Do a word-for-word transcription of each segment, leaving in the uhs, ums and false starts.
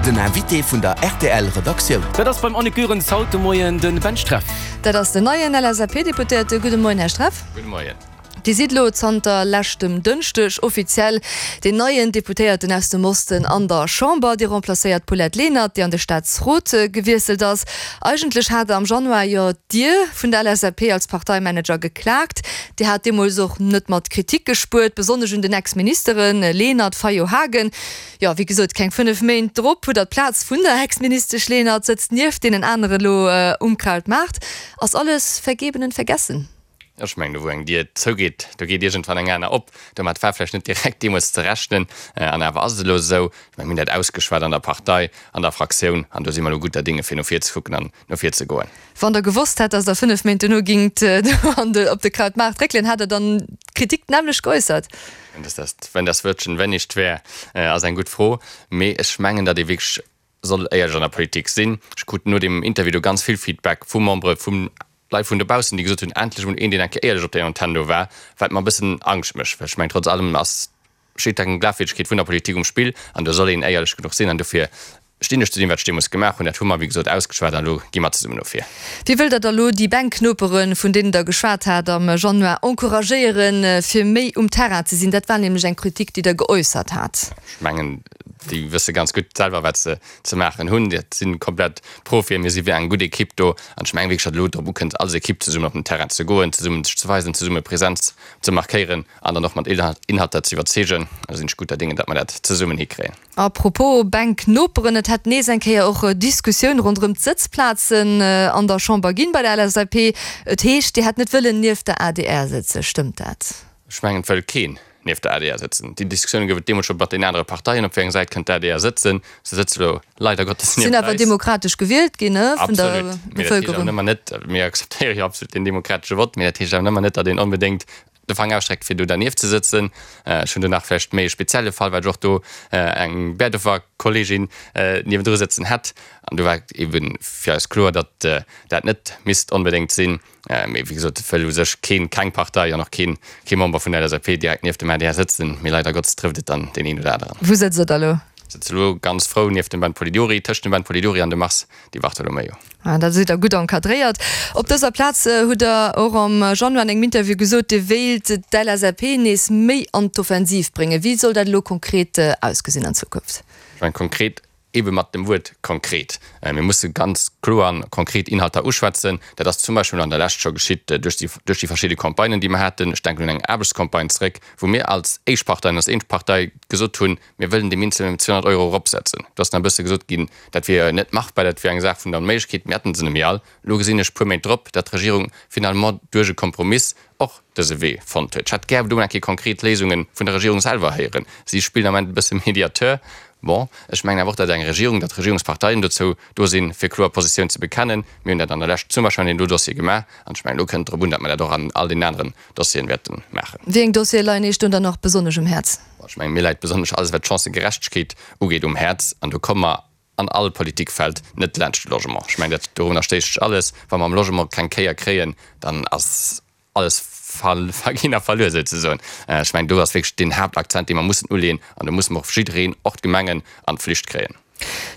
Den Invité vun der R T L Redaktioun. Dat ass beim Annick Goerens haut de Moien de Ben Streff. Dat ass den neien L S A P-Deputéierte. Gudde Moien, Här Streff. Gudde Moien. Dir sidd lo zanter leschtem Dënschdeg offiziell deen neien Deputéierten aus dem Osten an der Chamber. Dir remplacéiert d'Paulette Lenert, déi an de Staatsrot gewiesselt ass. Eigentlech hat Der am Januar jo d'Dier vun der L S A P als Parteimanager geklaakt. Dir hat deemools och net mat Kritik gespuert, besonnesch un den Ex-Ministeren Lenert, Fayot, Haagen. Jo, wéi gesot, keng fënnef Méint drop hutt Der d'Plaz vun der Ex-Ministesch Lenert, sëtzt nieft deenen anere lo um Krautmaart. Ass alles vergeben und vergessen? Ech mengen, do wou eng Dier zougeet, do geet iergendwann eng aner op. Domat war vläicht net direkt deemools ze rechnen, an awer ass et elo esou. Ech mengen, mir hunn dat ausgeschwat an der Partei, an der Fraktioun, an do si mer elo gudder Dinge fir no vir ze kucken an no vir ze goen. Wann Der gewosst hätt, datt Der fënnef Méint duerno gingt do an de, op de Krautmaart réckelen, hätt Der dann d'Kritik d'nämmlecht geäussert? Wenn das Wörtchen wenn nicht wär, ass eng gutt Fro. Mee ech mengen, datt ee wierklech soll éierlech an der Politik sinn. Ech krut no deem Interview do ganz vill Feedback vu Membere vum Leit vun dobaussen, déi gesot hunn, endlech emol een, deen eng Kéier éierlech op der Antenn do war, wat mer e bëssen Angscht mécht, well ech mengen, trotz allem ass, steet eng Glafwierdegkeet vun der Politik um Spill an do soll een éierlech genuch sinn an dofir stinn ech zu deem, wat ech deemools gemaach hunn. Dat hu mer, wéi gesot, ausgeschwat an elo gi mer zesummen no vir. Wéi wëllt Der da elo déi Bänknoperen, vun deenen Der geschwat hat am Januar, encouragéieren, fir méi um Terrain ze sinn? Dat war nämlech eng Kritik, déi Der geäussert hat. Ech mengen, déi wësse ganz gutt selwer, wat se ze maachen hunn. Dat si komplett Profien. Mir si wéi eng gutt Ekipp do. An ech mengen wierklech, datt elo drop ukënnt, als Ekipp zesummen op den Terrain ze goen, zesummen sech ze weisen, zesumme Präsenz ze markéieren an dann och mat Inhalter ze iwwerzeegen. Da sinn ech gudder Dinge, datt mer dat zesummen hikréien. A propos Bänknoperen, et hätt nees eng Kéier och Diskussioun ronderëm d'Sëtzplazen an der Chamber ginn bei der L S A P. Et heescht, Dir hätt net wëllen nieft der A D R sëtzen. Stëmmt dat? Ech mengen, et wëll keen nieft der A D R sëtzen. Déi Diskussioune gouf et deemools scho mat den anere Parteien, op wéi eng Säit kënnt d'A D R sëtzen. Se sëtze elo leider Gottes nieft eis. Sinn awer demokratesch gewielt ginn, ne, vun der Bevëlkerung. Absolut. Mee dat heescht awer nëmmer net, mir akzeptéiere jo absolut den demokratesche Vott, mee dat heescht awer nëmmer net, datt een onbedéngt de Faang ausstreckt, fir do dernieft ze sëtzen. Ech hunn do nach vläicht méi e spezielle Fall, well ech och do eng Bäerdofer Kolleegin niewendru sëtzen hätt. An do war eebe fir eis kloer, datt dat net misst onbedéngt sinn. Mee wéi gesot, et wëll u sech keen, keng Partei an och keen, kee Member vun der L S A P direkt nieft dem A D R sëtzen. Mee leider Gottes trëfft et dann deen een oder aneren. Wou sëtzt Der da elo? Ech sëtze elo ganz frou nieft dem Ben Polidori, tëscht dem Ben Polidori an dem Mars Di Bartolomeo. Ah, da sidd Der gutt encadréiert. Op dëser Plaz hutt Der och am Januar an engem Interview gesot, Dir wéilt d'L S A P nees méi an d'Offensiv bréngen. Wéi soll dat elo konkret ausgesinn an Zukunft? Ech mengen, konkret ebe mat dem Wuert konkret. Mir musse ganz kloer an konkret Inhalter uschwätzen. Dat ass zum Beispill an der Lescht scho geschitt duerch déi, duerch déi verschidde Campagnen, déi mer haten. Ech denken un eng Aarbechtscampagne zréck, wou mir als éischt Partei an als eenzeg Partei gesot hunn, mir wëllen de Mindestloun ëm zweehonnert Euro eropsetzen. Do ass nach e bësse gesot ginn, dat wier net machbar, dat wier eng Saach vun der Onméiglechkeet. Mir hätten se nemmi all. Elo gesinn ech puer Méint drop, datt d'Regierung finalement duerch e Kompromiss och dëse Wee fonnt huet. Ech hätt gär do eng Kéier konkret Léisunge vun der Regierung selwer héieren. Si spillen am Ament e bësse Mediateur. Bon, ech mengen awer och, datt eng Regierung, datt d'Regierungsparteien dozou do sinn, fir kloer Positioun ze bekennen. Mir hunn dat an der Lescht zum Beispill an deem do Dossier gemaach an ech mengen, elo kënnt et drop un, datt mer dat och an all deenen aneren Dossieren wäerte maachen. Wéi eng Dossiere leien Iech do dann nach besonnesch um Häerz? Ech mengen, mir läit besonnesch alles, wat d'Chancëgerechtegkeet ugeet, um Häerz an do komme mer an all Politikfeld net laanscht de Logement. Ech mengen, dat dorunner stéisst sech alles. Wa mer am Logement keng Kéier kréien, dann ass alles verginn a verluer souzesoen. Ech mengen, do ass wierklech deen Haaptakzent, dee mer mussen uleeën an do musse mer och jiddereen, och d'Gemengen, an d'Flicht kréien.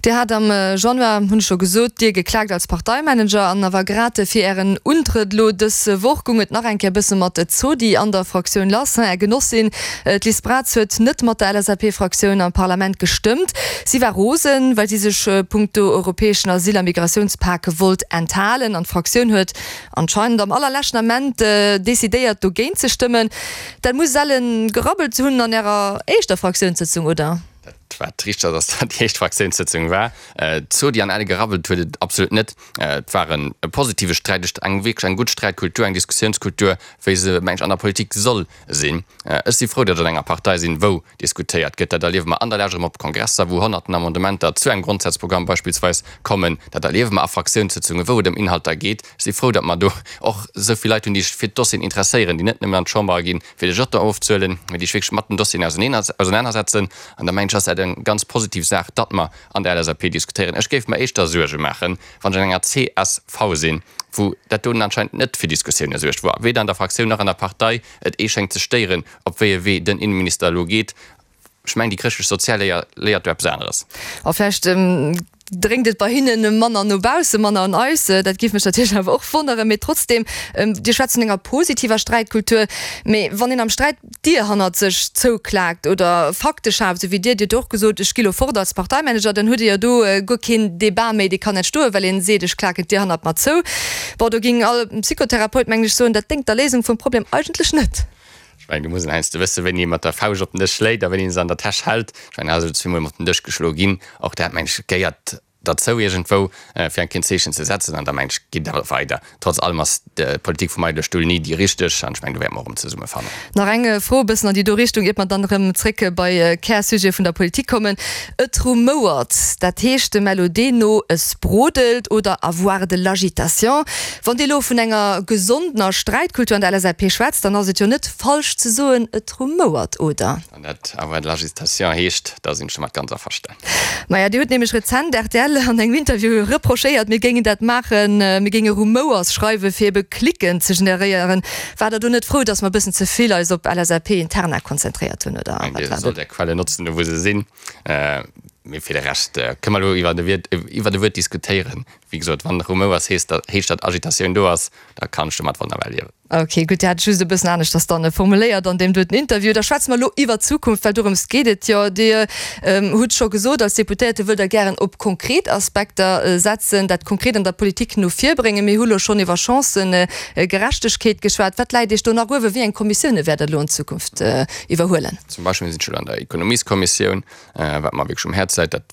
Dir hat am Januar, hunn ech scho gesot, Dir geklaakt als Parteimanager an awer grad fir Ären Untrëtt elo dës Woch gung et nach eng Kéier bësse mat Zodi an der Fraktioun lass. Är Genossin, d'Liz Braz, huet net mat der L S A P-Fraktioun am Parlament gestëmmt. Si war rosen, well si sech punkto europäeschen Asyl a Migratiounspak wollt enthalen an d'Fraktioun huet anscheinend am allerleschten Ament decidéiert dogéint ze stëmmen. Dat muss ellen gerabbelt hunn an Ärer éischter Fraktiounssëtzung, oder? Dat wat richteg ass, ass datt déi éischt Fraktiounssëtzung war. Zodi an elle gerabbelt huet et absolut net. Et war e positive Sträit, eng wierklech eng gutt Sträitkultur, eng Diskussiounskultur, wéi se, meng ech, an der Politik soll sinn. Ech si frou, datt ech an enger Partei sinn, wou diskutéiert gëtt. Dat erliewe mer an der Lescht erëm op Kongresser, wou honnerten Amendementer zu engem Grondsazprogramm beispillsweis kommen. Dat erliewe mer a Fraktiounssëtzungen, wou et ëm Inhalter geet. Ech si frou, datt mer do och esou vill Leit hunn, déi sech fir d'Dossieren interesséieren, déi net nëmmen an d'Chamber ginn, fir de Jeton ofzehuelen, mee déi sech wierklech mat den Dossieren ausenanersetzen. An da mengen ech, ass dat eng ganz positiv Saach, datt mer an der L S A P diskutéieren. Ech géif mer éischter Suerge maachen, wann ech an enger C S V sinn, wou dat doten anscheinend net fir Diskussioune suergt, wou weder an der Fraktioun nach an der Partei et ee schéngt ze stéieren, op wéi e Wee den Innenminister elo geet. Ech mengen, déi chrëschtlech sozial Léier léiert do eppes aneres. A vläicht dréngt et bei hinnen manner no baussen, manner un eis. Dat géif mech natierlech awer och wonneren. Mee trotzdem, Dir schwätzt vun enger positiver Sträitkultur. Mee wann een am Sträit d'Dier hannert sech zouklaakt oder Fakte schaaft, esou wéi Dir, Dir hutt jo och gesot, ech gi lo fort als Parteimanager, dann hutt Dir jo do guer keen Debat méi, dee kann entstoen, well een seet, ech klaken d'Dier hannert mer zou. Bon, do géing all Psychotherapeut, mengen ech, soen, dat déngt der Léisung vum Problem eigentlech net. Ech mengen, do muss een heiansdo wëssen, wéini ee mat der Fauscht op den Dësch schléit a wéini een se an der Täsch hält. Ech mengen, hei ass elo zweemol mat den Dësch geschloe ginn. Och dat, mengen ech, gehéiert derzou iergendwou, fir eng Kéier en Zeechen ze setzen. An da, mengen ech, geet et awer weider. Trotz allem ass d'Politik vum eidele Stull ni déi richteg. An ech mengen, do wäerte mer och erëm zesummefannen. Nach eng Fro e bëssen an déi do Richtung, iert mer dann erëm zréck bei Kärsujet vun der Politik kommen. Et rumouert, dat heescht dem LOD no, es brodelt oder avoir de l'agitation. Wann Dir elo vun enger gesondener Sträitkultur an der LSAP schwätzt, dann ass et jo net falsch ze soen, et rumouert, oder? Wann dat avoir de l'agitation heescht, da sinn ech domat ganz averstan. Maja, Dir hutt nämlech rezent rtl an engem Interview reprochéiert, mir géingen dat maachen, mir géinge Rumouers schreiwen, fir ebe Klicken ze generéieren. Waart Der do net frou, datt mer e bëssen ze vill eis op LSAP-Interna konzentréiert hunn, oder wat war Dir dat? sollt Är Quellen notzen, do wou se sinn. Mee fir de Rescht kënne mer elo iwwer e iwwer e Wuert diskutéieren. Wéi gesot, wann Rumouers heescht, heescht datt Agitatioun do ass, da kann ech domat wonnerbar liewen. Ok, gutt, Dir hat et just e bëssen aneschters dann formuléiert an deem doten Interview. Da schwätze mer elo iwwer d'Zukunft, well dorëms geet et jo. Dir hutt scho gesot, als Deputéierte wëllt Der gären op konkret Aspekter setzen, dat konkret an der Politik no vir bréngen. Mir hu lo schonn iwwer Chancëgerechtegkeet geschwat. Wat läit Iech do nach uewen? Wéi eng Kommissioune wäert Der elo an Zukunft iwwerhuelen? Zum Beispill sinn ech elo an der Ekonomieskommissioun, wat mer wierklech um Häerz läit. Dat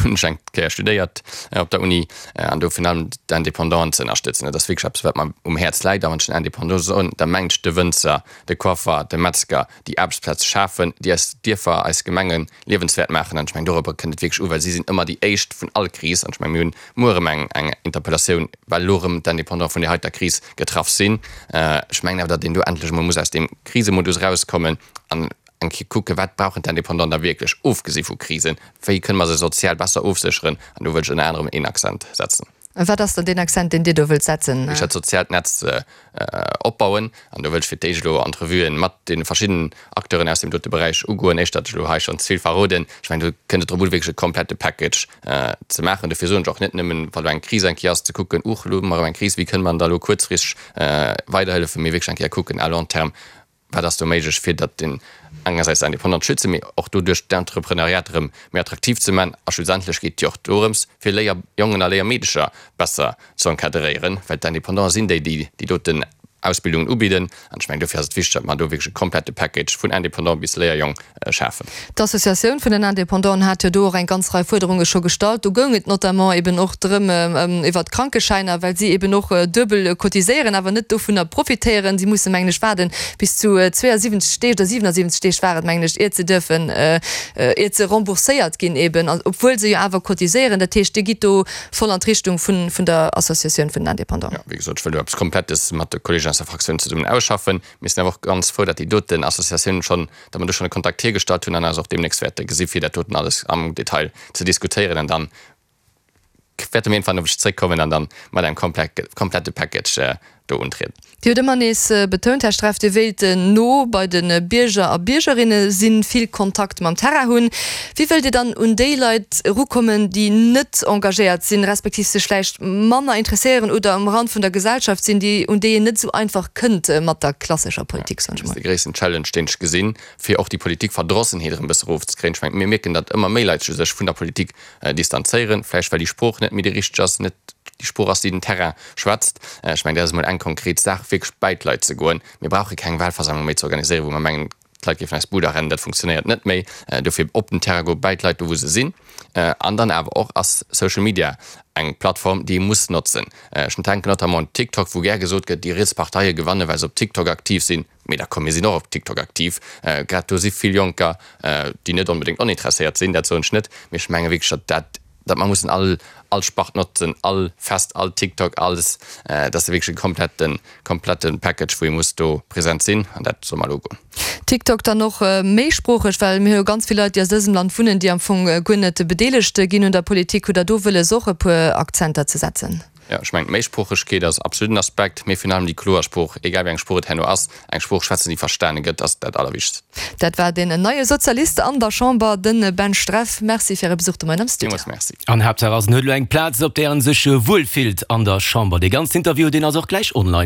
hunn ech eng Kéier studéiert op der Uni. An do virun allem d'Indépendanten ze ënnerstëtzen. Dat ass wierklech eppes, wat mer um Häerz läit. A wann ech den Indépendant soen, da mengen ech de Wënzer, de Coiffer, de Metzger, déi Aarbechtsplaze schafen, déi eis Dierfer, eis Gemenge liewenswäert maachen. An ech mengen, dorobber kënnt et wierklech u, well si sinn ëmmer déi Éischt vun all Kris. An ech mengen, mir hunn muer erëm eng, eng Interpellatioun, well elo erëm d'Indépendante vun där heiter Kris getraff sinn. Ech mengen awer, datt een do endlech emol muss aus deem Krisemodus erauskommen an eng Kéier kucken, wat brauchen d'Indépendanten da wierklech, ofgesi vu Krisen, wéi kënne mer se sozial besser ofsécheren. An do wëll ech ënner anerem een Accent setzen. Wat ass dann deen Accent, deen Dir do wëllt setzen? Ech dat soziaalt Netz opbauen. An do wëll ech fir d'éischt elo Entrevuen mat deene verschiddenen Acteuren aus deem dote Beräich ugoen, éischt datt ech elo hei schonn ze vill verroden. Ech mengen, do kënnt et drop un, wierklech e komplette Package ze maachen. Dofir soen ech och, net nëmmen, wa lo eng Kris eng Kéier ass, ze kucken, Uuch, elo hu mer erëm eng Kris, wéi kënne mer da elo kuerzfristeg weiderhëllefen, mee wierklech eng Kéier kucken à long terme, Wat ass do méiglech, fir datt een engersäits d'Indépendante schützen, mee och doduerch d'Entrepreneuriat erëm méi attraktiv ze man? A schlussendlech geet et jo och dorëms, fir Léierjongen a Léiermeedecher besser ze encadréieren, well d'Indépendante sinn déi, déi déi doten Ausbildungen ubidden. An ech mengen, dofir ass et wichteg, datt mer do wierklech e komplette Package vun Indépendant bis Léierjong schafen. D'Associatioun vun den Indépendanten hat jo do och eng ganz Rei Fuerderunge scho gestallt. Do goung et notamment eben och drëm, iwwert d'Krankeschäiner, well si eben och duebel cotiséieren, awer net dovunner profitéieren. Si musse, mengen ech, waarden bis zu zweeënsiwwenzeg Deeg oder siwenasiwwenzeg Deeg war et, mengen ech, iert se dierfen, iert se rembourséiert ginn eben, obwuel se jo awer cotiséieren. Dat heescht, Dir gitt do voll an d'Richtung vun der Associatioun vun den Indépendants. Jo, wéi gesot, ech wëll do eppes Komplettes mat de Kolleegen aus der Fraktioun zesummen ausschaffen. Mir sinn awer och ganz frou, datt déi doten Associatioun schonn, datt mer do schonn e Kontakt hiergestallt hunn an eis och deemnächst wäerte gesi fir dat doten alles am Detail ze diskutéieren. An dann wäerte mir iergendwann op iech zréckkommen an dann mat engem komplette Package do untrieden. Dir hutt ëmmer nees betount, Här Streff, Dir wéilt no bei de Bierger a Biergerinne sinn, vill Kontakt mam Terrain hunn. Wéi wëllt Dir dann un déi Leit erukommen, déi net engagéiert sinn, respektiv sech vläicht manner interesséieren oder um Rand vun der Gesellschaft sinn, déi, un déi een net esou einfach kënnt mat der klassescher Politik, soen ech Dat ass mol? de gréissten Challenge, deen ech gesinn, fir och déi Politikverdrossenheet erëm e bësse erofzekréien. Ech mengen, mir mierken, datt ëmmer méi Leit sech vun der Politik distanzéieren, vläicht well déi Sprooch net méi déi richteg ass, net déi Sprooch ass, déi den Terrain schwätzt. Ech mengen, dat ass emol eng konkret Saach, wierklech bäi d'Leit ze goen. Mir brauche keng Wahlversammlung méi ze organiséieren, wou mer mengen, d'Leit géifen eis Buder rennen. Dat funktionéiert net méi. Dofir op den Terrain goen, bäi d'Leit, do wou se sinn. An dann awer och ass Social Media eng Plattform, déi ee muss notzen. Ech denken notamment un TikTok, wou gär gesot gëtt, déi riets Parteie gewannen, well se op TikTok aktiv sinn. Mee da komm, mir sinn och op TikTok aktiv. Grad do si vill Jonker, déi net onbedéngt oninteresséiert sinn, dat soen ech net. Mee ech menge wierklech, datt dat, datt mer mussen all, all Spart notzen, all Fest, all TikTok, alles. Dat ass wierklech e kompletten, komplette Package, wou ee muss do present sinn. An dat soll mer elo ugoen. TikTok dann och méisproocheg, well mir hu jo ganz vill Leit, déi aus dësem Land wunnen, déi am Fong guer net bedeelegt ginn un der Politik. Hutt Der do wëlles, och e puer Akzenter ze setzen? Jo, ech mengen, d'Méisproochegkeet ass absolut en Aspekt, mee virun allem déi kloer Sprooch, egal wéi eng Sprooch et herno ass, eng Sprooch schwätzen, déi verstane gëtt, ass dat Allerwichtegst. Dat war deen neie Sozialist an der Chamber, de Ben Streff. Merci fir Äre Besuch de Moien am Studio. Villmools Merci. An Haaptsaach ass, en huet elo eng Plaz, op där en sech wuel fillt an der Chamber. Dee ganzen Interview, deen ass och gläich online.